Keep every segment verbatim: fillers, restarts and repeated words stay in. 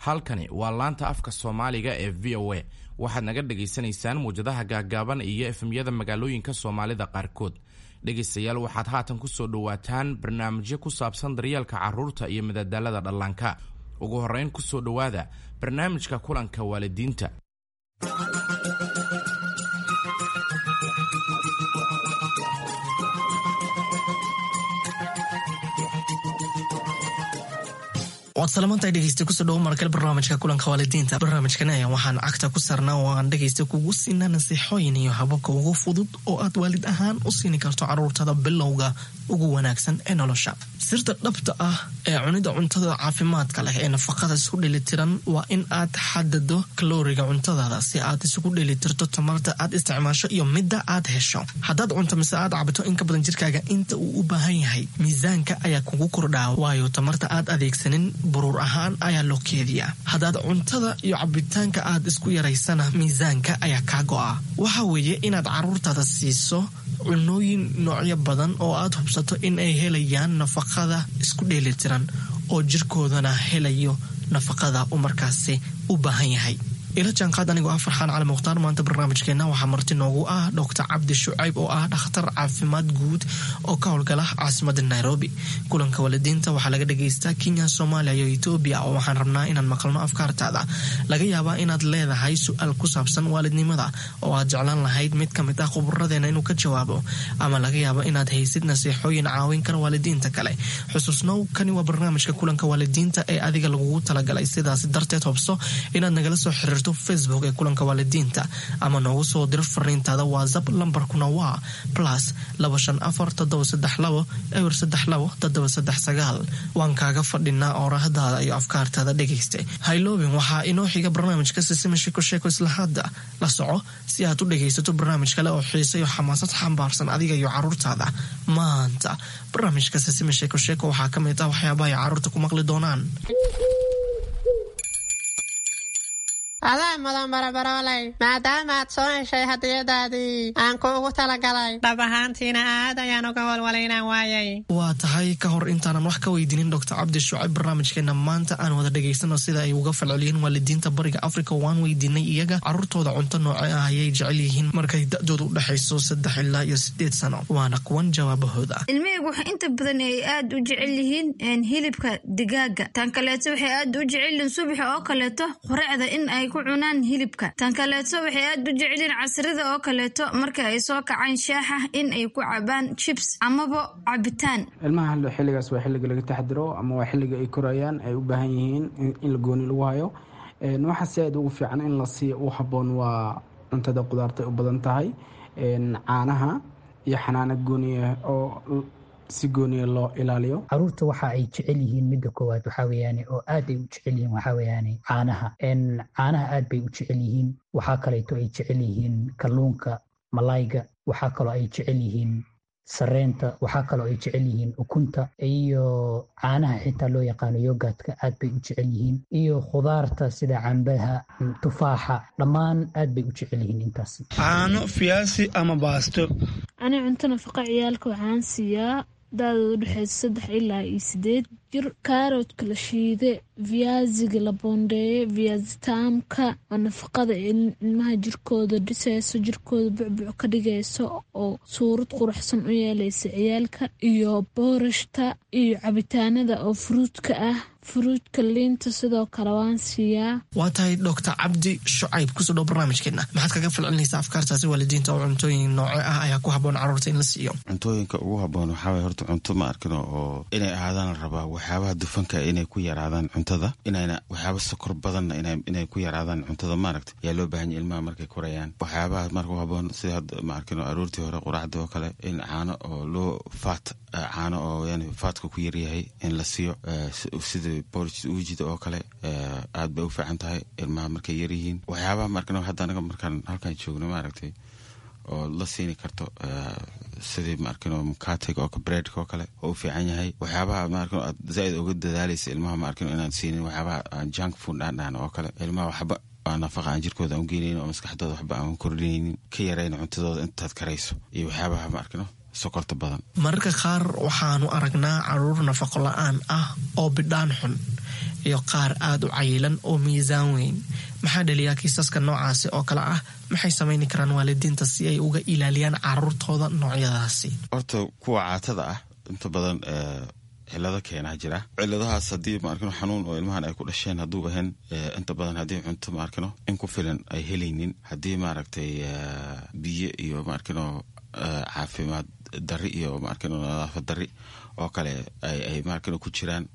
Halkani waa laanta afka Soomaaliga ee V O A. Waxaad naga dhagaysanaysaan muwjadaha gaagaaban iyo F M-yada magaalooyinka Soomaalida qaarkood. Dhegaystayaal, waxaad haatan ku soo dhowaataan barnaamijyo ku saabsan daryeelka carruurta iyo madadaalada dhallaanka. Ugu horrayn, ku soo dhowaada barnaamijka kulanka waalidiinta. Waad salamantahay, dhegeysta. Kusoo dhawo markale barnaamijka kulanka waalidiinta. Barnaamijkan ayaa waxaan cagta ku saarnaa oo aan dhegeysta kugu siinaa nasiixooyin iyo hababka ugu fudud oo aad waalid ahaan u siini karto caruurtada bilowga ugu wanaagsan ee nolosha. Sirta dhabta ah ee cunida cuntada caafimaadka leh ee nafaqada isku dheelitiran waa in aad xadado kalooriga cuntadaada si aad isugu dheelitirto tamarta aad isticmaasho iyo midda aad hesho. Haddaad cunto mise aad cabto in ka badan jirkaaga inta uu u baahan yahay, miisaanka ayaa kugu kordhaa, waayo tamarta aad adeegsanin buruur ahaan ayaa loo keediyaa. Haddaad cuntada iyo cabitaanka aad isku yaraysana, miisaanka ayaa kaa go'a. Waxa weeye inaad caruurtaada siiso cunooyin noocyo badan oo aad hubsato in ay helayaan nafaqada isku dheelitiran oo jirkoodana helayo nafaqada uu markaasi u baahan yahay. Ila jaanqaad anigoo ah Farxaan Cali Mukhtaar. Maanta barnaamijkeena waxaa marti noogu ah Doctor Cabdi Shucayb oo ah dhakhtar caafimaad guud oo ka howlgala caasimada Nairobi. Kulanka waalidiinta waxaa laga dhagaystaa Kenya, Soomaaliya iyo Etoobiya, oo waxaan rabnaa inaan maqalno afkaartaada. Laga yaabaa inaad leedahay su-aal ku saabsan waalidnimada oo aad jeclaan lahayd mid ka mid ah khuburadeena inuu ka jawaabo, ama laga yaabo inaad haysid nasiixooyin caawin kara waalidiinta kale. Xusuusnow, kani waa barnaamijka kulanka waalidiinta ee adiga lagugu talagalay. Sidaas darteed, hobso inaad nagala soo xiriirto Facebook ee kulanka waalidiinta ama noogu soo diro fariintaada WhatsApp. Lambarkuna waa plus laba shan afar toddoba saddex labo eber saddex labo toddoba saddex sagaal. Waan kaaga fadhinaa oorahdaada iyo afkaartaada, dhegayste. Hayloobin, waxaa inoo xiga barnaamijka Sisima Sheeko Sheeko. Isla hadda la soco si aad u dhegaysato barnaamij kale oo xiise iyo xamaasad xambaarsan adiga iyo caruurtaada. Maanta barnaamijka Sisima Sheeko Sheeko waxaa ka mid ah waxyaabaha ay caruurta ku maqli doonaan. Adaa mudan, barabarooley, maadaama aad soo heshay hadiyadaadii aan kuugu talagalay. Dhab ahaantiina aad ayaan uga walwalay inaan waayay. Waa tahay. Ka hor intaanan wax ka weydiinin Doctor Cabdi Shucayb barnaamijkeena maanta, aan wada dhegaysano sida ay uga falceliyeen waalidiinta Bariga Africa. Waan weydiinay iyaga caruurtooda cunto nooce ah ayay jecel yihiin markay da-dooda u dhexayso saddex ilaa iyo sideed sano. Waana kuwan jawaabahooda. Ilmahaygu waxay inta badan ay aad u jecel yihiin hilibka digaaga. Tan kaleeto, waxay aad u jecel yihiin subaxa oo kaleeto qureecda in ay ku cunaan hilibka. Tan kaleeto, waxay aad u jecelyihiin casrida oo kaleeto marka ay soo kacaan shaaxa in ay ku cabaan chips amaba cabitaan. Ilmaha xilligaas waa xilliga laga taxdiro ama waa xilliga ay korayaan, ay u baahan yihiin in la gooni lagu hayo. Waxaa si aad ugu fiican in la siiyo u habboon waa cuntada qudaarta u badan tahay, caanaha iyo xanaano gooniya oo si gooniya loo ilaaliyo. Caruurta waxa ay jecel yihiin, midda koowaad waxaa weeyaane oo aad ay u jecel yihiin, waxaa weeyaane caanaha. Caanaha aad bay u jecel yihiin. Waxaa kaleeto ay jecel yihiin kalluunka, malayga. Waxaa kaloo ay jecel yihiin sareenta. Waxaa kaloo ay jecel yihiin ukunta iyo caanaha xitaa loo yaqaano yogurtka, aad bay u jecel yihiin, iyo khudaarta sida cambaha, tufaaxa, dhammaan aad bay u jecel yihiin intaas. Caano, fiyaasi ama baasto. Ani cunto nafaqa ciyaalka waxaan siiyaa da-dooda udhexeysa saddex ilaa iyo sideed jir kaaroodka la shiide, viaziga la boondeeye, viazitaamka oo nafaqada ilmaha jirkooda dhiseyso, jirkooda bucbuc ka dhigayso oo suurad quruxsan u yeeleysa ciyaalka, iyo boorashta iyo cabitaanada oo fruitka ah, fruitka, liinta sidoo kale waan siiyaa. Waa tahay. Doctor Cabdi Shucayb, kusoo dhow barnaamijkeena. Maxaad kaga falcelinaysaa afkaartaasi waalidiinta oo cuntooyin nooce ah ayaa ku haboon caruurta in la siiyo? Cuntooyinka ugu haboon waxaa waye horta cunto ma arkino oo inay ahaadaan la rabaa waxyaabaha dufanka inay ku yaraadaan cuntada, inayna waxyaaba sokor badanna inay ku yaraadaan cuntada, maaragta, yaa loo baahan yahy ilmaha markay korayaan. Waxyaabaha marka u haboon sida hadda, ma arkino, aroortii hore quraacda oo kale in caano oo loo faat, caano oo yani fatka ku yaryahay in la siiyo, sida porridge uujida oo kale, aad bay u fiican tahay ilmaha markay yaryihiin. Waxyaabaha maarkino hadda anaga markaan halkan joogno, maaragtay, oo la siini karto sidii, maarkino, mukatega oo breadka oo kale oo u fiican yahay. Waxyaabaha, maarkino, aad zaaid uga dadaalaysa ilmaha, maarkino, inaad siinin waxyaabaha aan junk food aan dhahan oo kale, ilmaha waxba aan nafaqa aan jirkooda aan u geynaynin oo maskaxdooda waxba aan kordhinaynin, ka yarayna cuntadooda intaad karayso, iyo waxyaabaha, maarkino, sokorta badan. Mararka qaar waxaanu aragnaa caruur nafaqo la-aan ah oo bidhaan xun. iyo qaar aada u cayilan oo miisaan weyn. Maxaa dhaliyaa kiisaska noocaasi oo kale ah? Maxay samayni karaan waalidiinta si ay uga ilaaliyaan caruurtooda noocyadaasi? Horta kuwa caatada ah inta badan cilado keenaa jira. Ciladahaas haddii maarkino xanuun oo ilmahan ay ku dhasheen hadduu ahayn, inta badan haddii cunto maarkino in ku filan ay helaynin, haddii maaragtay biyo iyo maarkino caafimaad dari iyo maarkino nadaafad dari oo kale ay maarkino ku jiraan,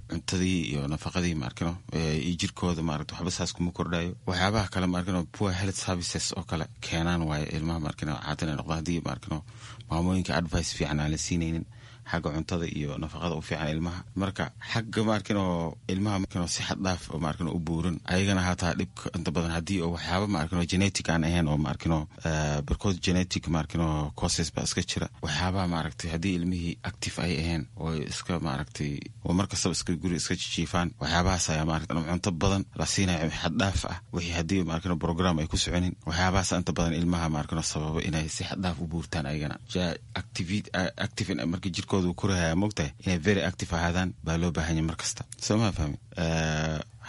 cuntadii iyo nafaqadii maarkino iyo jirkooda maaragta waxba saas kuma kordhayo. Waxyaabaha kale maarkino poor health services oo kale keenaan waaye ilmaha maarkino caata inay noqdaan, haddii maarkino maamooyinka advice fiican aan la siinaynin xagga cuntada iyo nafaqada u fiican ilmaha. Marka xagga maarkino ilmaha maarkino si xad dhaaf oo maarkino u buuran ayagana hataa dhibka inta badan haddii oo waxyaaba maarkino genetic aan ahayn oo maarkino barkood genetic maarkino causes baa iska jira. Waxyaabaha maaragtay haddii ilmihii active ay ahayn oo iska maaragtay oo mar kastaba iska guri iska jijiifaan, waxyaabahaas ayaa maaragtay cunto badan la siinayo xad dhaaf ah, wixii haddii maarkino program ay ku soconin, waxyaabahaas inta badan ilmaha maarkino sababa inay si xad dhaaf u buurtaan ayagana. Active marka jirkooda korahaya mogtahay inay very active ahaadaan baa loo baahanya mar kasta, soo maa fahmi?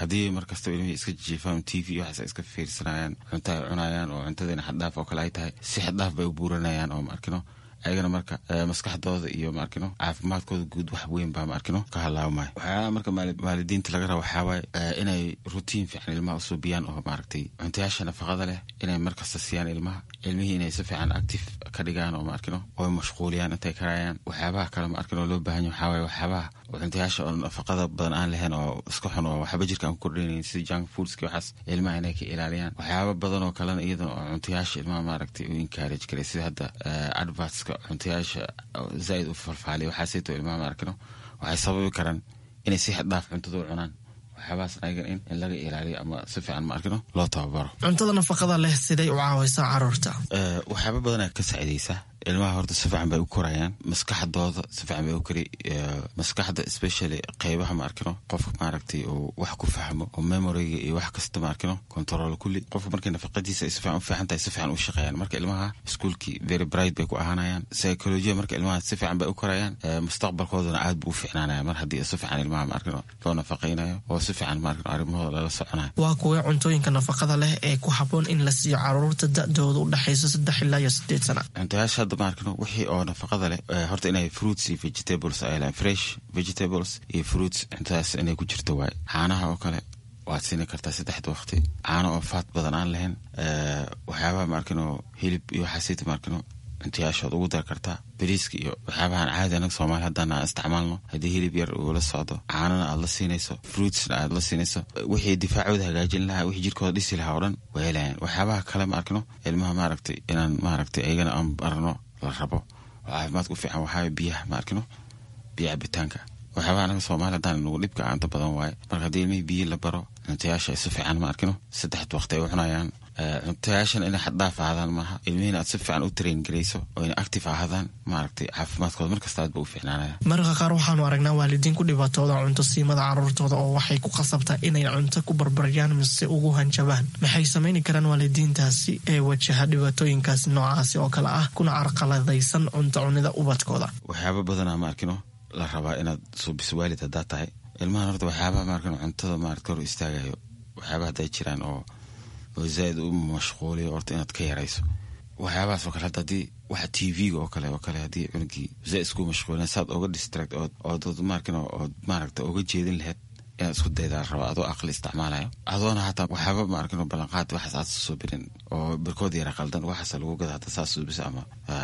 Haddii mar kastaba ilmihii iska jiifaan, T V waxaas iska fiirsanayaan, cunto ay cunayaan oo cuntadiina xaddhaaf oo kale ay tahay, si xaddhaaf bay u buuranayaan oo maarkino ayagana marka maskaxdooda iyo maarkino caafimaadkooda guud wax weyn baa maarkino ka halaabmaya. Waxyaalaha marka waalidiinta laga raba waxaa waaye inay routine fiican ilmaha usuubiyaan oo maaragtay cuntayaasha nafaqada leh inay markasta siiyaan ilmaha, ilmihii inay si fiican active ka dhigaan oo maarkino oo mashquuliyaan intay karayaan. Waxyaabaha kale maarkino loo baahan yahay waxaa waaye waxyaabaha cuntayaasha oo nafaqada badan aan lahayn oo iska xun oo waxba jirka aan ku kordhinaynin, sida junk foodski, waxaas ilmaha inay ka ilaaliyaan. Waxyaaba badan oo kalena iyadana oo cuntayaasha ilmaha maaragtay u encourage karay, sida hadda advertska cuntayaasha zaaid u falfaaliya, waxaasayto ilmaha maarkino waxay sababi karaan inay si xad dhaaf cuntada u cunaan. Waxyaabahaas ayagan in in laga ilaaliyo ama si fiican maarkino loo tababaro. Cuntada nafaqada leh siday u caawaysaa caruurta? Waxyaaba badanaa ka saacidaysa ilmaha. Horta si fiican bay u korayaan, maskaxdooda si fiican bay u kori, maskaxda especially qeybaha maarkino qofka maaragtay uu wax ku fahmo oo memoryga iyo wax kasta maarkino control kulli. Qofka markay nafaqadiisa ay si fiican u fiican tahay, si fiican u shaqeeyaan. Marka ilmaha iskuulkii very bright bay ku ahaanayaan, psychology marka ilmaha si fiican bay u korayaan, mustaqbalkoodana aad buu u fiicnaanaya mar haddii si fiican ilmaha maarkino loo nafaqaynayo oo si fiican maarkino arrimahooda lala soconayo. Waa kuwee cuntooyinka nafaqada leh ee ku habboon in la siiyo caruurta da-dooda u dhexayso saddex ilaa iyo sideed sana? Cuntayaasha hadda maarkino wixii oo nafaqada leh horta inay fruits iyo vegetables ay lahayn, fresh vegetables iyo fruits, cuntadaas inay ku jirto waaye. Caanaha oo kale waad siini kartaa saddexda waqti, caano oo faat badan aan lahayn. Waxyaabaha maarkino hilib iyo waxaasita maarkino cuntayaashood ugu dar kartaa, bariiska iyo waxyaabahan caadi anaga Soomaali haddana aan isticmaalno. Haddii hilib yar uu la socdo, caanana aad la siinayso, fruitsna aad la siinayso, wixii difaacooda hagaajin lahaa, wixii jirkooda dhisi lahaa oo dhan way helayaan. Waxyaabaha kale ma arkino ilmaha maaragtay inaan maaragtay ayagana aan barno la rabo oo caafimaadka u fiican waxaa biyaha ma arkino, biyo cabitaanka. Waxyaabaha anaga Soomaali haddaan nagu dhibka inta badan waaye. Marka haddii ilmihii biyo la baro, cuntayaasha si fiican ma arkino saddex waqti ay u cunayaan, cuntayaashan inay xaddhaaf ahaadaan maaha, ilmihiina aad si fiican u train garayso oo inay active ahaadaan, maaragtay caafimaadkooda markasta aad ba u fiicnaanaya. Mararka qaar waxaanu aragnaa waalidiin ku dhibaatooda cunto siimada caruurtooda oo waxay ku khasabtaa inay cunto ku barbaryaan mise ugu hanjabaan. Maxay samayni karaan waalidiintaasi ee wajaha dhibaatooyinkaasi noocaasi oo kale ah kuna carqaladaysan cunto cunida ubadkooda? Waxyaaba badanaa ma arkino la rabaa inaad suubiso waalid haddaa tahay ilmahan. Horta waxyaabaha maarkino cuntada maarata hor istaagayo, waxyaabaha hadday jiraan oo oo zaaid u mashquuliyo, horta inaad ka yarayso waxyaabahaas oo kale. Hadda haddii waxa T V-ga oo kale oo kale haddii cunugii zaaid isku mashquulina, saad oga distract ood ood maarkino ood maaragta oga jeedin lahayd inaad isku daydaa la rabaa, adoo aqli isticmaalayo, adoona hataa waxyaaba maarkino ballanqaad waxaas aad soo birin oo barkood yara qaldan waxaas lagu gada hadda saas suubisa ama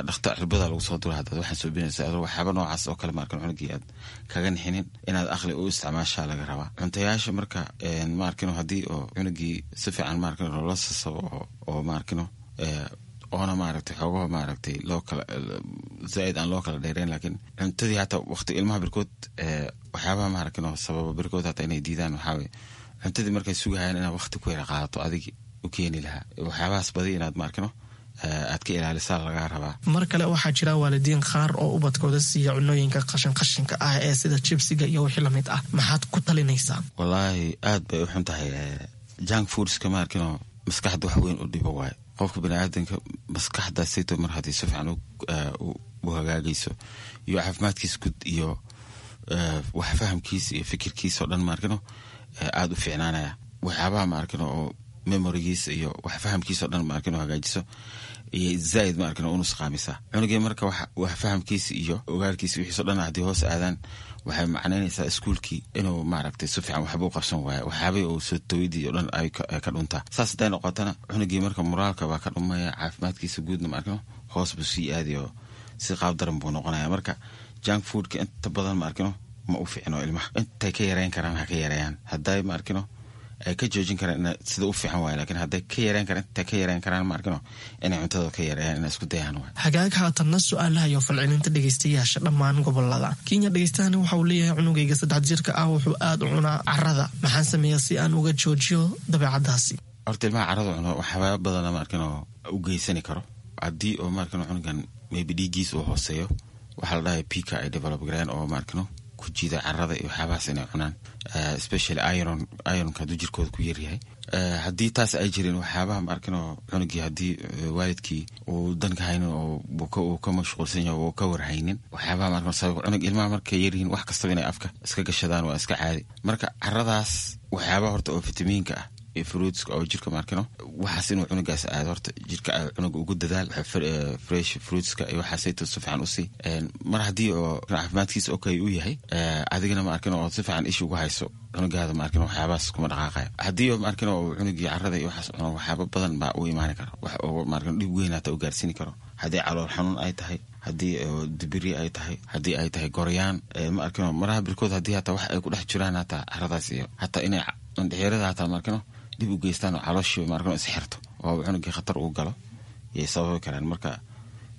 dhakhtar cirbada lagu soo dura haddaad waxaan suubinaysa, adoo waxyaaba noocaas oo kale maarkino cunugii aad kaga nixinin, inaad aqli u isticmaashaa laga rabaa cuntayaasha. Marka maarkino haddii oo cunugii si fiican maarkino loola sasabo oo oo maarkino oona maaragtay xoogaha maaragtay loo kala zaaid aan loo kala dheereyn, laakiin cuntadii hataa waqti ilmaha birkood waxyaabaha maaragtay sababa birkood hataa inay diidaan waxaa weye cuntadii markay sugahayaan inaad waqti ku yara qaadato adigi u keeni lahaa, waxyaabahaas badi inaad maarkino aad ka ilaalisaa lagaa rabaa. Mar kale waxaa jira waalidiin qaar oo ubadkooda siiya cunooyinka qashin qashinka ah ee sida jibsiga iyo wixii lamid ah. Maxaad ku talinaysaa? Wallaahi aad bay u xun tahay junk foodska, maarkino maskaxda wax weyn u dhibo waaye. Qofka baniaadanka maskaxdaasayto mar haddii si fiican u hagaagayso iyo caafimaadkiisa guud iyo wax fahamkiisa iyo fikirkiisa oo dhan maarkino aada u fiicnaanaya. Waxyaabaha ma arkin oo memorigiisa iyo wax fahamkiisa o dhan ma arkin oo hagaajiso iyo zaaid ma arkin oo unusqaamisa cunugii. Marka wax fahamkiisa iyo ogaalkiisa wixiiso dhan haddii hoos aadaan, waxay macnaynaysaa iskuulkii inuu maaragtay si fiican waxba u qabsan waayo, waxyaabay uu soo tawidii o dhan ay ka dhuntaa. Saas hadday noqotana, cunugii marka moraalka baa ka dhumaya, caafimaadkiisa guudna ma arkino hoos buu sii aadayo, si qaab daran buu noqonaya. Marka junk foodka inta badan ma arkino ma u fiicno ilmaha. Intay ka yareyn karaan ha ka yareeyaan, hadday ma arkino ay ka joojin karaan sida u fiican waay, lakiin hadday ka yareyn karaan, intay ka yareyn karaan ma arkino inay cuntada ka yareeyaan, inay isku dayaan waay. Hagaag, haatanna su-aalaha iyo falcelinta dhegeystayaasha dhammaan gobolada Kenya. Dhegeystahani waxa uu leeyahay: cunugayga saddex jirka ah wuxuu aada u cunaa carada, maxaan sameeyaa si aan uga joojiyo dabeecadaasi? Horta ilmaha carada cuno waxyaaba badana ma arkino u geysani karo. Haddii oo ma arkino cunugan maybe dhiiggiisa uu hooseeyo, waxaa la dhahay pica ay develop gareen oo ma arkino ku jiida carada iyo waxyaabahaas inay cunaan, especially iron. Ironka hadduu jirkooda ku yaryahay, haddii taas ay jirin, waxyaabaha ma arkino cunugii haddii waalidkii uu danka haynin oo uu ka mashquulsan yahay oo ka warhaynin, waxyaabaha ma arkino sabab cunug ilmaha markay yaryihiin wax kastaba inay afka iska gashadaan waa iska caadi. Marka caradaas waxyaabaha horta oo fitamiinka ah iyo fruitska oo jirka ma arkino waxaas inuu cunugaas aado, horta jirka cunuga ugu dadaal fresh fruitska iyo waxaasayto si fiican usii. Mar haddii oo caafimaadkiisa okay u yahay, adigana ma arkino oo si fiican isha ugu hayso cunugaada, ma arkino waxyaabahaas kuma dhaqaaqayo. Haddii oo ma arkino oo cunugii carada iyo waxaas cuno, waxyaaba badan baa u imaani kara, wax oo ma arkino dhib weyn hata u gaarsiini karo. Haddii calool xanuun ay tahay, haddii dibiri ay tahay, haddii ay tahay goryaan, ma arkino maraha birkood haddii hataa wax ay ku dhex jiraan hataa caradaas iyo hataa inay indhexyarada hataa ma arkino dhib u geystaan oo calooshii ma arkino isxirto oo cunugii khatar uu galo yay sababi karaan. Marka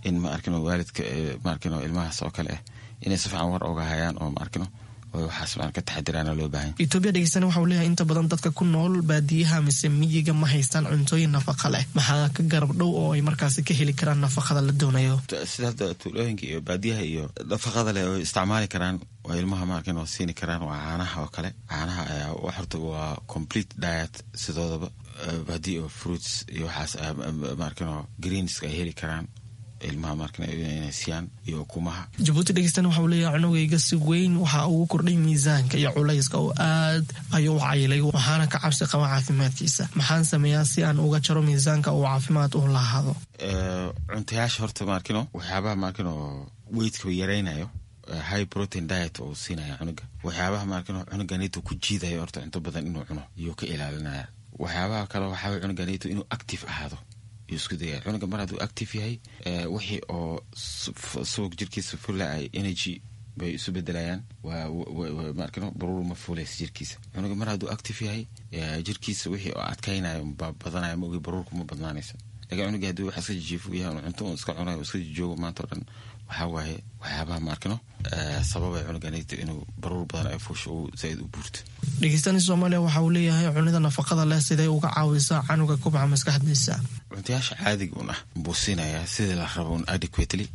in ma arkino waalidka ma arkino ilmahaas oo kale ah inay si fiican war oga hayaan oo ma arkino oo waxaas ma ka taxadiraana loo baahan. Etoobiya dhegeystana waxa uu leeyahay: inta badan dadka ku nool baadiyaha mise miyiga ma haystaan cuntooyin nafaqa leh, maxaa ka garab dhow oo ay markaasi ka heli karaan nafaqada la doonayo? Sida hadda tuulooyinka iyo baadiyaha iyo nafaqada leh oo isticmaali karaan oo ilmaha ma arkin oo siini karaan waa caanaha oo kale. Caanaha ayaa horta waa complete diet sidoodaba. Haddii oo fruits iyo waxaas ma arkin oo greenska ay heli karaan ilmaha markan inay siiyaan iyo ukumaha. Jabuuti dhegeystana waxa uu leeyahay: cunugayga si weyn waxa ugu kordhay miisaanka iyo culayska oo aad ayuu u cayilay, waxaana ka cabsi qaba caafimaadkiisa. Maxaan sameeyaa si aan uga jaro miisaanka uu caafimaad u lahaado? Cuntayaasha horta ma arkino waxyaabaha ma arkino weightka yaraynayo, high protein diet oo siinaya cunuga. Waxyaabaha ma arkino cunuganito ku jiidayo horta cunto badan inuu cuno iyuu ka ilaalinaya. Waxyaabaha kale waxaa cunuganito inuu active ahaado iyo isku daya. Cunuga mar hadduu active yahay, wixii oo subag jirkiisa fula ay energy bay isu bedelayaan, ma arkino baruur ma fuulaysa jirkiisa. Cunuga mar hadduu active yahay, jirkiisa wixii oo adkaynayo baa badanaya, ma ogi baruurku ma badnaanaysa. Lakin cunuga haddii wax iska jijiifo yahay, cunto un iska cunayo, iska jijoogo maanta o dhan, waxaa waaye waxyaabaha ma arkino sababay cunuganito inuu baruur badan ay fuusho uu zaaid u buurto. Dhegeystani Soomaaliya waxa uu leeyahay: cunida nafaqada leh siday uga caawisaa canuga kubca maskaxdiisa? Cuntayaasha caadiga un ah buu siinayaa sidii la rabo un adequately,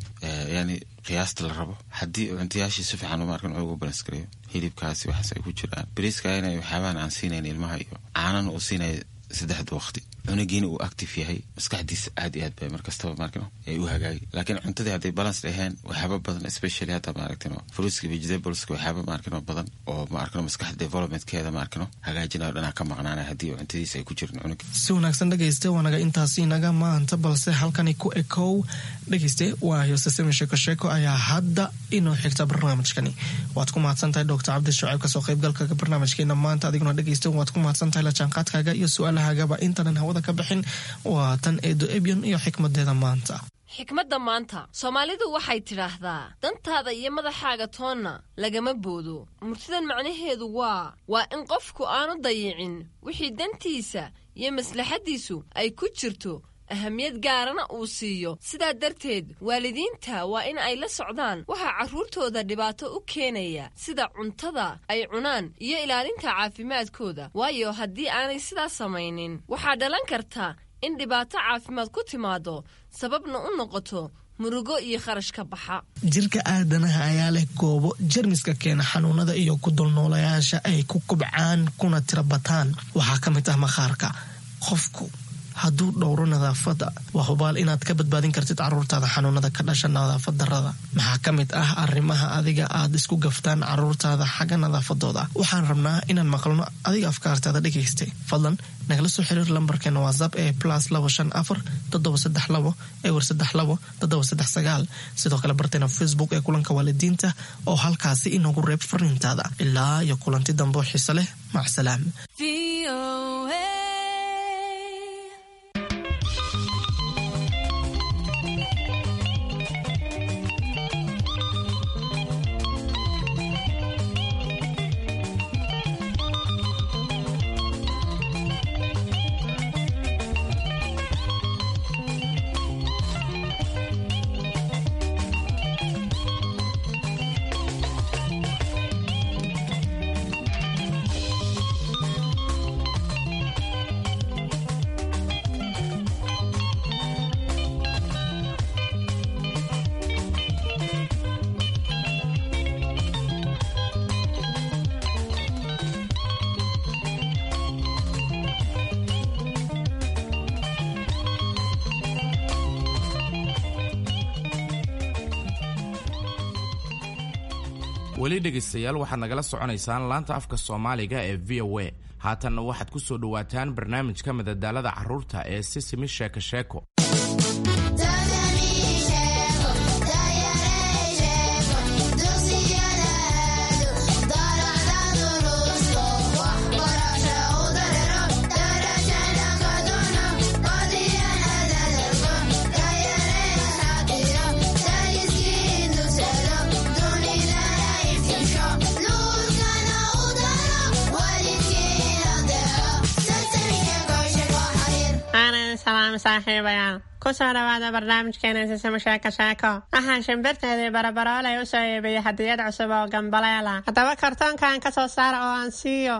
yani qiyaasta la rabo. Haddii cuntayaashii si fiican ma arkin cunuga balance gareeyo, hilibkaasi waxaas ay ku jiraan, bariiska inay waxyaabahan aan siinayn ilmaha iyo caanana uu siinaya saddexda waqti, cunugiina uu active yahay, maskaxdiisa aad iyo aad bay markastaba maarkino ay u hagaagi. Laakiin cuntadii hadday balance ahayn, waxyaaba badan, especially hadda maaragtino fruitska, vegetables, waxyaaba maarkino badan oo maarkino maskaxda developmentkeeda maarkino hagaajinayo dhanaa ka maqnaanaya haddii cuntadiisa ay ku jirin cunuga. Si wanaagsan dhegayste, waanaga intaasi inaga maanta, balse halkani ku ekow dhegayste, waayo sasemi sheeko sheeko ayaa hadda inoo xigta barnaamijkani. Waad ku mahadsan tahay Doctor Cabdi Shucayb kasoo qaybgalka barnaamijkeena maanta. Adiguna dhegayste waad ku mahadsan tahay la jaanqaadkaaga iyo su-aalahagaba. Intanan hawada ka bixin, waa tan Eedo Ebyan iyo xikmadeeda maanta. Xikmadda maanta, Soomaalidu waxay tidhaahdaa: dantaada iyo madaxaaga toonna lagama boodo. Murtidan macnaheedu waa waa in qofku aanu dayicin wixii dantiisa iyo maslaxaddiisu ay ku jirto, ahamiyad gaarana uu siiyo. Sidaa darteed waalidiinta waa in ay la socdaan waxaa carruurtooda dhibaato u keenaya, sida cuntada ay cunaan iyo ilaalinta caafimaadkooda, waayo haddii aanay sidaas samaynin waxaa dhalan karta in dhibaato caafimaad ku timaado, sababna u noqoto murugo iyo kharash ka baxa. Jirka aadanaha ayaa leh goobo jermiska keena xanuunada iyo ku dulnoolayaasha ay ku kubcaan kuna tira bataan. Waxaa ka mid ah maqaarka. Qofku hadduu dhowro nadaafadda, waa hubaal inaad ka badbaadin kartid caruurtaada xanuunada ka dhasha nadaafad darrada. Maxaa ka mid ah arrimaha adiga aad isku gaftaan caruurtaada xagga nadaafadooda? Waxaan rabnaa inaan maqalno adiga afkaartaada dhegaystay. Fadlan nagala soo xiriir lambarkeena WhatsApp ee plus labo shan afar toddoba saddex labo ewer saddex labo toddoba saddex sagaal. Sidoo kale barteena Facebook ee kulanka waalidiinta oo halkaasi inoogu reeb fariintaada. Ilaa iyo kulanti dambe oo xiise leh, macsalaam. Weli dhegaystayaal, waxaad nagala soconaysaan laanta afka Soomaaliga ee V O A. Haatanna waxaad ku soo dhowaataan barnaamijka madadaalada carruurta ee Sisimi Sheeko Sheeko. Aanan salaam saaxiibayaal, kusoo dhawaada barnaamijkeena Sisimo Sheeko Sheeko. Waxaan shimbirteedii Barabaroolay u soo iibiyey hadiyad cusub oo gambaleela. Haddaba kartoonkan ka soo saara oo aan siiyo.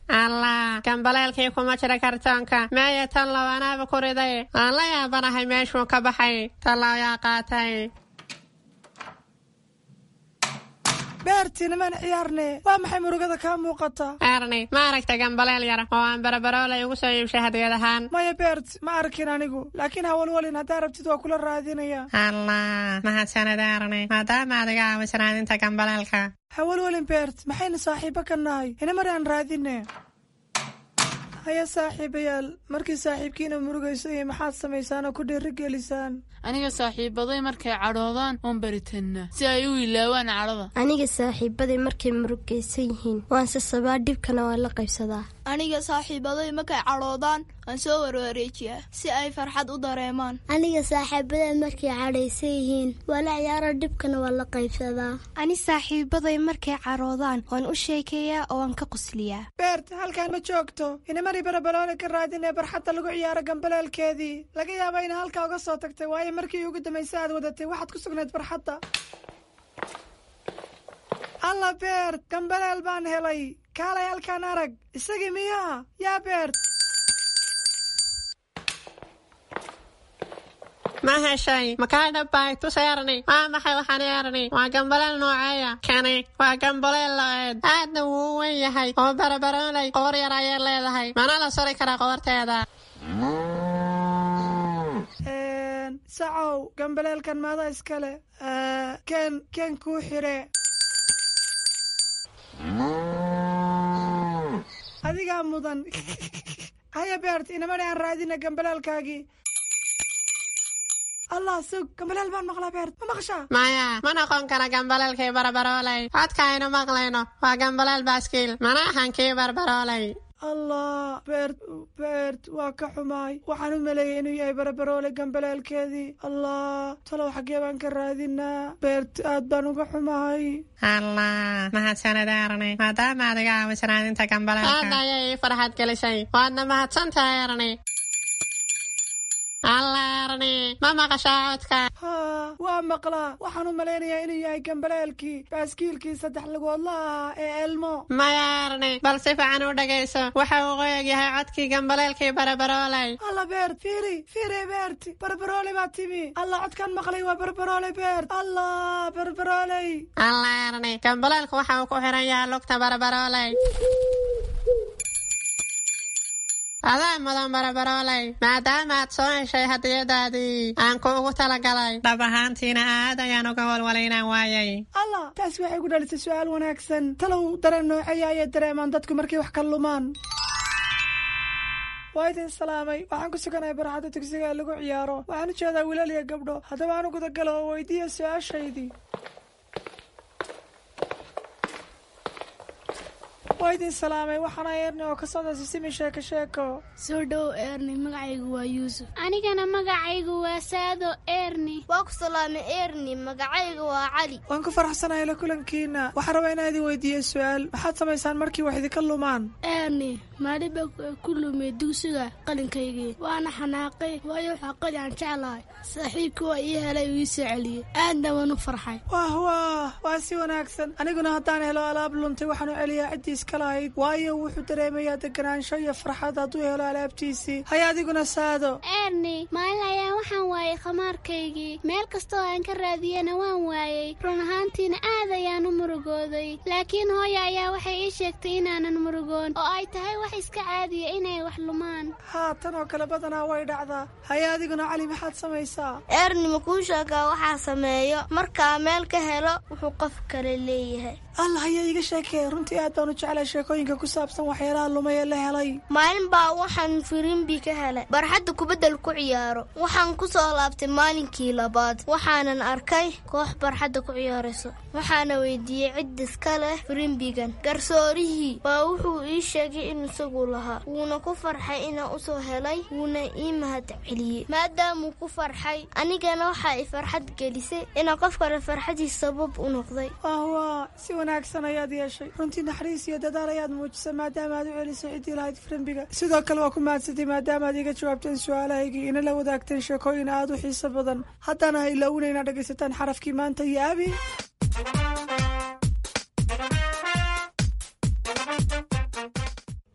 Allah, gambaleelkii kuma jira kartoonka. Meeya tanlow? Anaaba ku riday. Aan la yaabanahay meeshuu ka baxay. Tallow yaa qaatay? Beertiinamaan ciyaarne, waa maxay murugada kaa muuqata? Erni, ma aragta gambaleel yar oo aan Barabaroolay ugu soo iibshay hadiyad ahaan? Maya Beert, ma arkin anigu, laakiin hawalwalin, haddaa rabtid waa kula raadinaya. Allah, mahadsanid Erni, maadaama aad iga caawiso raadinta gambaleelka. Hawalwalin Beert, maxaynu saaxiibo ka nahay? Inamar aan raadine. Haya saaxiibayaal, markii saaxiibkiina murugaysan maxaad samaysaan oo ku dhiirigelisaan? Aniga saaxiibaday markay cadhoodaan oon baritannaa si ay u ilaawaan cadhada. Aniga saaxiibaday markay murugaysan yihiin waan sasabaa, dhibkana waan la qaybsadaa. Aniga saaxiibaday markay cadhoodaan waan soo warwareejiyaa si ay farxad u dareemaan. Aniga saaxiibaday markay cadhaysan yihiin waa la ciyaaro, dhibkana waan la qaybsadaa. Ani saaxiibaday markay cadhoodaan waan u sheekeeyaa oo waan ka qosliyaa. Beert, halkaan ma joogto. Inamari Barabaloole ka raadinee barxadda lagu ciyaaro gambaleelkeedii. Laga yaaba ina halkaa uga soo tagtay, waayo markii ugu dambaysa aad wadatay waxaad ku sugnayd barxadda. Alla Beert, gambaleel baan helay. Kaalay halkaan arag. Isagii miyaa yaa Beert? Ma heshay? Makaa dhabbay? Tus Erni. Waa maxay waxaan Erni? Waa gambaleel nooceeya kani? Waa gambaleel lo'eed, aadna wuu u weyn yahay oo Barabaroolay qoor yar ayay leedahay, mana la suri karaa qoorteeda. Sacow, gambaleelkan maada iskale? Ken ken kuu xire. Adigaa mudan. Haya Beert, inamani aan raadina gambaleelkaagii. Allah, sug, gambaleel baan maqlaa. Beert, ma maqashaa? Maya, ma noqon kara gambaleelkii Barabaroolay. Codka aynu maqlayno waa gambaleel baaskiil, mana ahan kii Barbaroolay. Allah Beert, Beert, waa ka xumaay. Waxaan u maleeyay inuu yahay Barabaroole gambaleelkeedii. Allah, talow xaggee baan ka raadinaa? Beert, aad baan uga xumahay. Allah, mahadsanid Erni, maadaama aad iga caawiso raadinta gambaleelka. Aad ayay ii farxad gelisay, waadna mahadsantahay Erni. Allah Erni, ma maqashaa codka? Haa, waa maqlaa. Waxaan u malaynayaa inuu yahay gambaleelkii baaskiilkii saddex lugoodla ahaa ee Elmo. Maya Erni, bal si fiican u dhagayso. Waxa uu qoyag yahay codkii gambaleelkii Barabaroolay. Alla Beert, fiiri fiiri. Beert, Barbarooley baa timi. Allah, codkaan maqlay waa Barbarooley. Beert, Allah, Barbarooley. Allah Erni, gambaleelku waxa uu ku xiran yahay lugta Barabarooley. Adaa mudan barabarooley, maadaama aad soo heshay hadiyadaadii aan kuugu talagalay. Dhab ahaantiina aad ayaan uga walwalay inaan waayay. Allah, taasi waxay ku dhalisay su'aal wanaagsan. Talow dareen nooceeya ayay dareemaan dadku markay wax ka lumaan? Waa idin salaamay. Waxaan ku suganahay barxadda dugsiga ee lagu ciyaaro. Waxaan u jeedaa wiilal iyo gabdho. Haddaba aan u gudagalo oo weydiiya su-aashaydii. Waa idin salaamay. Waxaana Eerni oo ka socda Sisimi Sheeko Sheeko. Soo dhow Eerni, magacaygu waa Yuusuf. Anigana magacaygu waa Saado Eerni. Waa ku salaamay Eerni, magacaygu waa Cali. Waan ku faraxsanahay la kulankiina. Waxaan rabaa inaan idin weydiiyo su-aal. Maxaad samaysaan markii wax idinka lumaan? Eerni, maalin baa ku lumay dugsiga qalinkaygii, waana xanaaqay, waayo waxaa qali aan jeclahay. Saaxiibkii waa ii helay uu ii soo celiyey, aadna waan u farxay. Wah wah, waa si wanaagsan. Aniguna haddaan helo alaab luntay waxaan u celiyaa ciddii iska lahayd, waayo wuxuu dareemayaa deganaansho iyo farxad hadduu helo alaabtiisii. Haya adiguna Saado. Eerni, maalin ayaa waxaan waayay khamaarkaygii. Meel kastoo aan ka raadiyena waan waayey. Run ahaantiina aad ayaan u murugooday, laakiin hooya ayaa waxay ii sheegtay inaanan murugoon oo ay tahay wax iska caadiya inay wax lumaan. Haa, tan oo kale badanaa way dhacdaa. Haya adiguna Cali, maxaad samaysaa? Eerni, ma kuu sheegaa waxaa sameeyo markaa meel ka helo wuxuu qof kale leeyahay? Allah, ayaa iiga sheekee. Runtii aad baan u jeclay sheekooyinka ku saabsan waxyaalaha lumay ee la helay. Maalin baa waxaan firimbi ka helay barxadda kubaddal ku ciyaaro. Waxaan ku soo laabtay maalinkii labaad, waxaanan arkay koox barxadda ku ciyaarayso. Waxaana weydiiyey cid iska leh firimbigan. Garsoorihii baa wuxuu ii sheegay in isagu lahaa, wuuna ku farxay inaan usoo helay, wuuna ii mahad celiyey. Maadaamuu ku farxay, anigana waxaa i farxad gelisay inaan qof kale farxadiis sabab u noqday. Wah, si wanaagsan ayaad yeeshay. Runtii naxariis iyo dadaal ayaad muujisay maadaama aad u celisay ciddii lahayd firimbiga. Sidoo kale waa ku mahadsatay maadaama aad iga jawaabteen su-aalahaygii ina la wadaagteen sheekooyin aad u xiiso badan. Haddana ha ilaawina inaad dhegaysataan xarafkii maanta iyo Abi.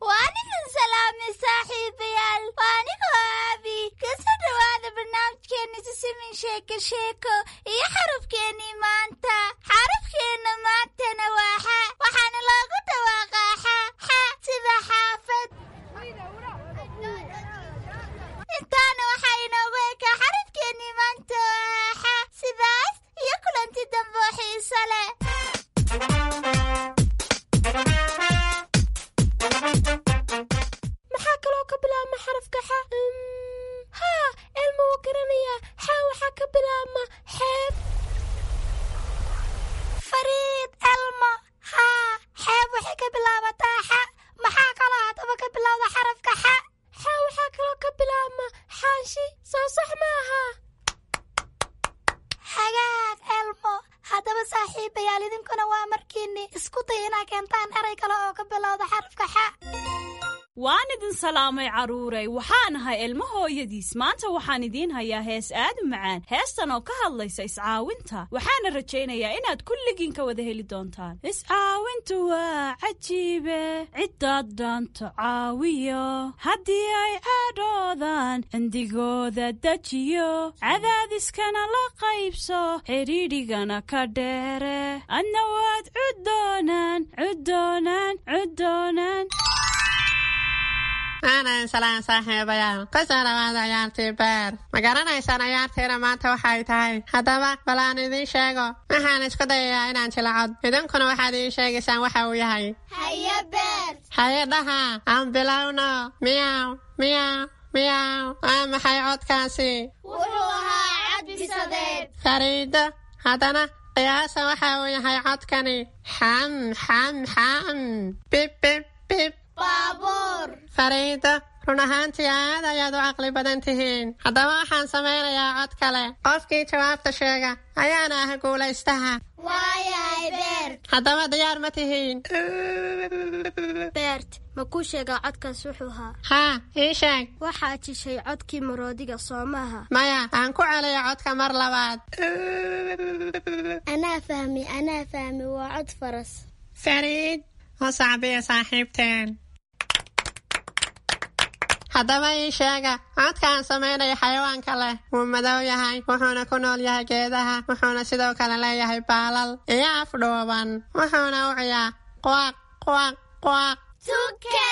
Waan idin salaamay saaxiibayaal, waa anigoo Aabi. Kasoo dhowaada barnaamijkeena Sisimin Sheeko Sheeko iyo xarafkeennii maanta. Xarafkeenna maantana waa xa, waxaana loogu dhawaaqaa xa xa sida xaafad. Intaana waxaa inoogu ekaa xarafkeennii maanta oo ah xa. Sidaas iyo kulanti dambe oo xiiso leh. Maxaa kaloo ka bilaabma xarafka xa? Haa, Elma wuu garanayaa. Xa waxaa ka bilaabma xeeb. Fariid, Elmo, haa, xeeb waxay ka bilaabataa xa. Maxaa kaloo haddaba ka bilowda xarafka xa? Xa waxaa kaloo ka bilaabma xaashi. Soo sax maaha? Hagaag Elmo. Haddaba saaxiibayaal, idinkuna waa markiinni isku day inaa keentaan eray kale oo ka bilowda xarafka xa. Waan idin salaamay carruuray. Waxaan ahay Ilmo hooyadiis. Maanta waxaan idiin hayaa hees aad u macaan, heestan oo ka hadlaysa iscaawinta. Waxaana rajaynayaa inaad kulligiin ka wada heli doontaan. Iscaawintu waa cajiibe, ciddaad dhaanto caawiyo, haddii ay cadhoodaan cindigooda dejiyo, cadaadiskana la qaybso, xidhiidhigana ka dheere, adna waad cuddoonaan cuddoonaan cuddoonaan. Aanan salaan saaxiibayaal, kusoo dhawaada ciyaartii beer. Ma garanaysaan ciyaartiina maanta waxay tahay? Haddaba bal aan idiin sheego. Waxaan isku dayayaa inaan jilacod, idinkuna waxaad ii sheegaysaan waxa uu yahay. Haye Beer. Haye dhaha, aan bilowno. Miyaw miyaw miyaw, waa maxay codkaasi? Wuxuu ahaa cad bisadeed. Fariido, haddana qiyaasa waxa uu yahay codkani. Xam xam xam, bib bib bib. Baabuur. Fariido, run ahaantii aad ayaad u caqli badan tihiin. Haddaba waxaan samaynayaa cod kale. Qofkii jawaabta sheega ayaana ah guulaystaha. Waayahay Beert. Haddaba diyaar ma tihiin? Beert, ma kuu sheegaa codkaas wuxuu ahaa? Haa, ii sheeg. Waxaad jishay codkii maroodiga, soo maaha? Maya, aan ku celiyo codka mar labaad. Anaa fahmi, anaa fahmi, waa cod faras. Fariid, u sacbiya saaxiibteen. Haddaba ii sheega codka aan samaynayo xayawaanka leh. Wuu madow yahay, wuxuuna ku nool yahay geedaha, wuxuuna sidoo kale leeyahay baalal iyo af dhuuban, wuxuuna u ciyaa quaq quaq quaq. Tuke.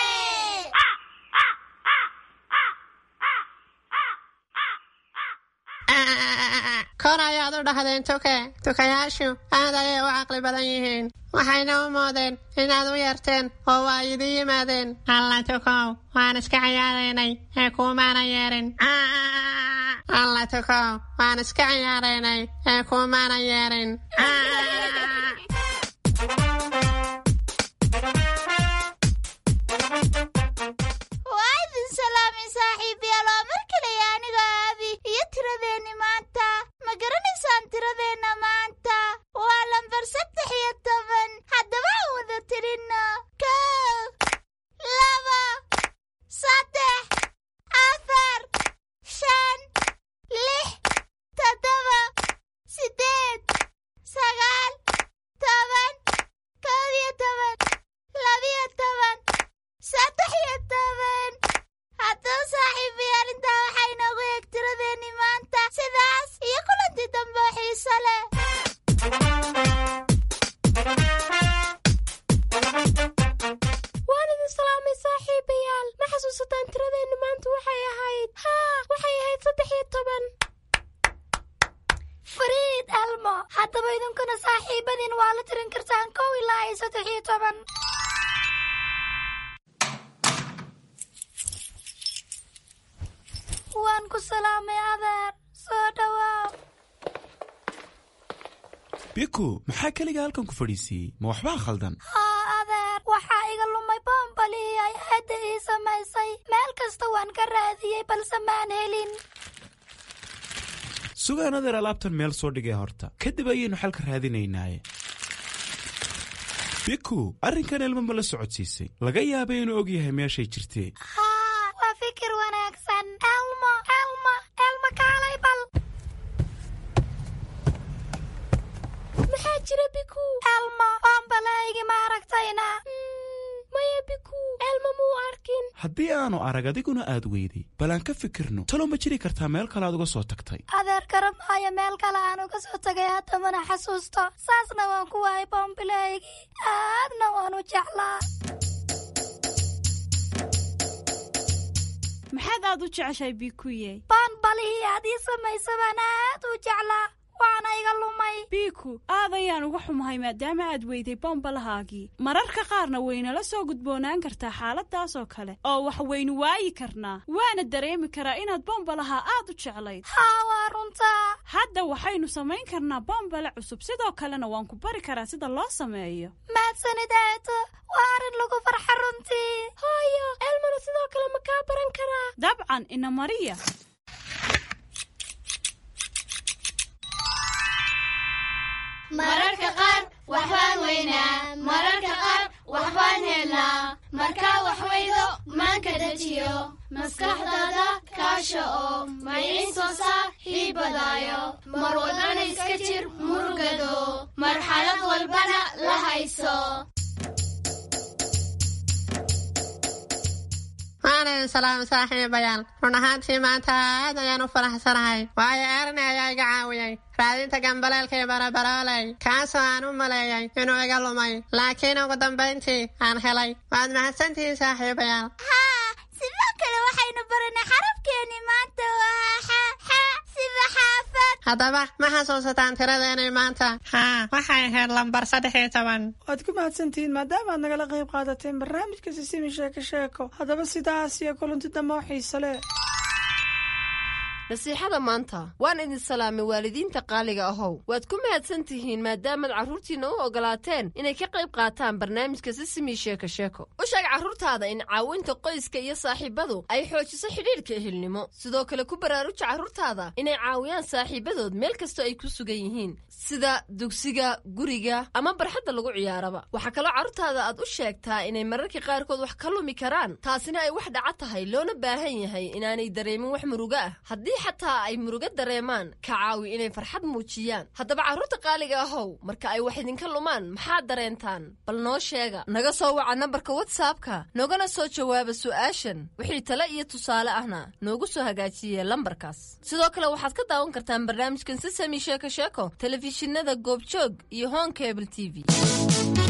Kor ayaad u dhahdeen tuke. Tukayaashu aad ayay u caqli badan yihiin, waxayna u moodeen inaad u yeerteen oo waa idin yimaadeen. Alla tukow, waan iska ciyaaraynay ee kuumaana yeerin. Alla tukow, waan iska ciyaaraynay ee kuumaana yeerin. Waa idin salaamay saaxiibayaal, waa mar kale aniga Aabi iyo tiradeenni maanta. Ma garanaysaan tiradeenna maanta? Waa lambar saddex iyo toban. Haddaba aan wada tirinno: kow, laba, saddex, afar, shan, lix, toddoba, siddeed, sagaal, toban, kow iyo toban, labiyo toban, saddex iyo toban. Haddaba saaxiibayaal, intaa waxaa inoogu eeg tiradeenni maanta. Sidaas iyo kulantii dambe oo xiiso leh. Waan idin salaamay saaxiibayaal. Ma xasuusataan tiradeenna maanta waxay ahayd? Haa, waxay ahayd saddex iyo toban. Fariid Elmo, haddaba idinkuna saaxiibadiin waa la tirin kartaan kow ilaa iyo saddex iyo toban. Waan ku salaamay adeer, soo dhawaaw. Biku, maxaa keliga halkan ku fadhiisiiyey? Ma waxbaa khaldan? Haa adeer, waxaa iga lumay boombalihii ay aadda ii samaysay. Meel kasta waan ka raadiyey balse maan helin. Sugaan adeer, alaabtan meel soo dhigay horta, kadib ayaynu xalka raadinaynaaye. Biku, arrinkan Elmo ma la socodsiisay? Laga yaabay inuu og yahay meeshay jirtee. Haa, waa fikir wanaagsan. Elmo, Elmo, Elmo, kaalay bal. Maxaa jira, Biku? Elmo, boombalahaygi ma aragtayna? Maya Biku, Elmo muu arkin. Haddii aanu arag adiguna aad weyday, bal aan ka fikirno. Talow ma jiri kartaa meel kale aad uga soo tagtay? Adeer, garamaayo meel kale aan uga soo tagay, hadda mana xasuusto. Saasna waan ku waayay boombilahaygii, aadna waan u jeclaa. Maxaad aad u jeceshahay, Bikuye? Boonbalihii aad ii samaysa baan aad u jeclaa, waana iga lumay. Biku, aad ayaan uga xumahay maadaama aad weyday bombalahaagii. Mararka qaarna waynala soo gudboonaan kartaa xaaladaas oo kale oo wax waynu waayi karnaa, waana dareemi karaa inaad bombalaha aad u jeclayd. Haa, waa runtaa. Hadda waxaynu samayn karnaa bombale cusub, sidoo kalena waan ku bari karaa sida loo sameeyo. Mahadsanid aato, waa arrin lagu farxa runtii. Hooyo, Elmona sidoo kale ma kaa baran karaa? Dabcan, ina mariya. Mararka qaar waxbaan weynaa, mararka qaar waxbaan helnaa. Markaa wax weydo maanka dejiyo, maskaxdaada kaasha oo maynin soo saar hiibadaayo. Mar walbana iska jir murugado, marxalad walbana la hayso. Waan idin salaamay saaxiibayaal. Run ahaantii maanta aad ayaan u faraxsanahay, waayo Erni ayaa iga caawiyey raadinta gambaleelkii barabarooley, kaasoo aan u maleeyay inuu iga lumay, laakiin ugu dambayntii aan helay. Waad mahadsantihiin saaxiibayaal. Haa, sidoo kale waxaynu baranay xarafkeenni maanta, waa xa, xa sida xaafad. Haddaba ma xasuusataan tiradeenii maanta? Haa, waxay ahayd lambar saddex iyo toban. Waad ku mahadsantihiin maadaama aad nagala qayb qaadateen barnaamijka Sisimi Sheeko Sheeko. Haddaba sidaas iyo kulanti dambe oo xiiso leh. Nasiixada maanta. Waan idin salaamay waalidiinta qaaliga ahow. Waad ku mahadsan tihiin maadaamaad carruurtiinna u ogolaateen inay ka qayb qaataan barnaamijka Sisimi Sheeko Sheeko. U sheeg carruurtaada in caawinta qoyska iyo saaxiibadu ay xoojiso xidhiidhka ehelnimo. Sidoo kale ku baraaruja carruurtaada inay caawiyaan saaxiibadood meel kastoo ay ku sugan yihiin, sida dugsiga, guriga ama barxadda lagu ciyaaraba. Waxaa kaloo carruurtaada aad u sheegtaa inay mararka qaarkood wax ka lumi karaan, taasina ay wax dhaca tahay, loona baahan yahay inaanay dareemin wax murugo ah. Haddii xataa ay murugo dareemaan, ka caawi inay farxad muujiyaan. Haddaba carruurta qaaliga ahow, marka ay wax idinka lumaan maxaad dareentaan? Bal noo sheega. Naga soo waca nambarka WhatsAppka, noogana soo jawaaba su'aashan. Wixii tale iyo tusaale ahna noogu soo hagaajiye lambarkaas. Sidoo kale waxaad ka daawan kartaan barnaamijkan Sisami Sheeko Sheeko telefishinada Goobjoog iyo Horn Cable T V.